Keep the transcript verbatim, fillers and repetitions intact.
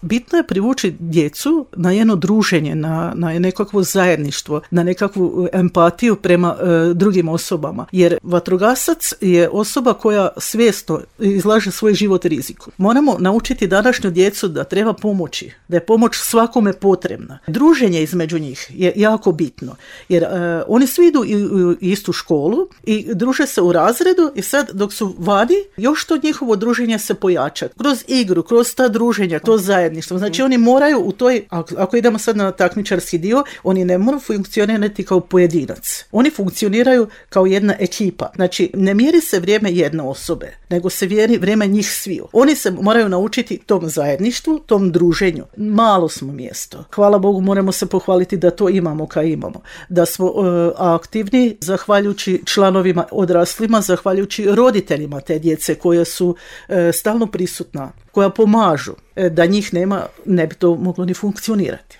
Bitno je privući djecu na jedno druženje, na, na nekakvo zajedništvo, na nekakvu empatiju prema e, drugim osobama. Jer vatrogasac je osoba koja svjesno izlaže svoj život riziku. Moramo naučiti današnju djecu da treba pomoći, da je pomoć svakome potrebna. Druženje između njih je jako bitno. Jer e, oni svi idu u istu školu i druže se u razredu i sad dok su vani, još to njihovo druženje se pojača. Kroz igru, kroz ta druženja, to zajedništvo. Znači oni moraju u toj, ako idemo sad na takmičarski dio, oni ne moraju funkcionirati kao pojedinac. Oni funkcioniraju kao jedna ekipa. Znači ne mjeri se vrijeme jedne osobe, nego se mjeri vrijeme njih sviju. Oni se moraju naučiti tom zajedništvu, tom druženju. Malo smo mjesto. Hvala Bogu, moramo se pohvaliti da to imamo kao imamo. Da smo uh, aktivni zahvaljujući članovima odraslima, zahvaljujući roditeljima te djece koje su uh, stalno prisutna, koja pomažu. Da njih nema, ne bi to moglo ni funkcionirati.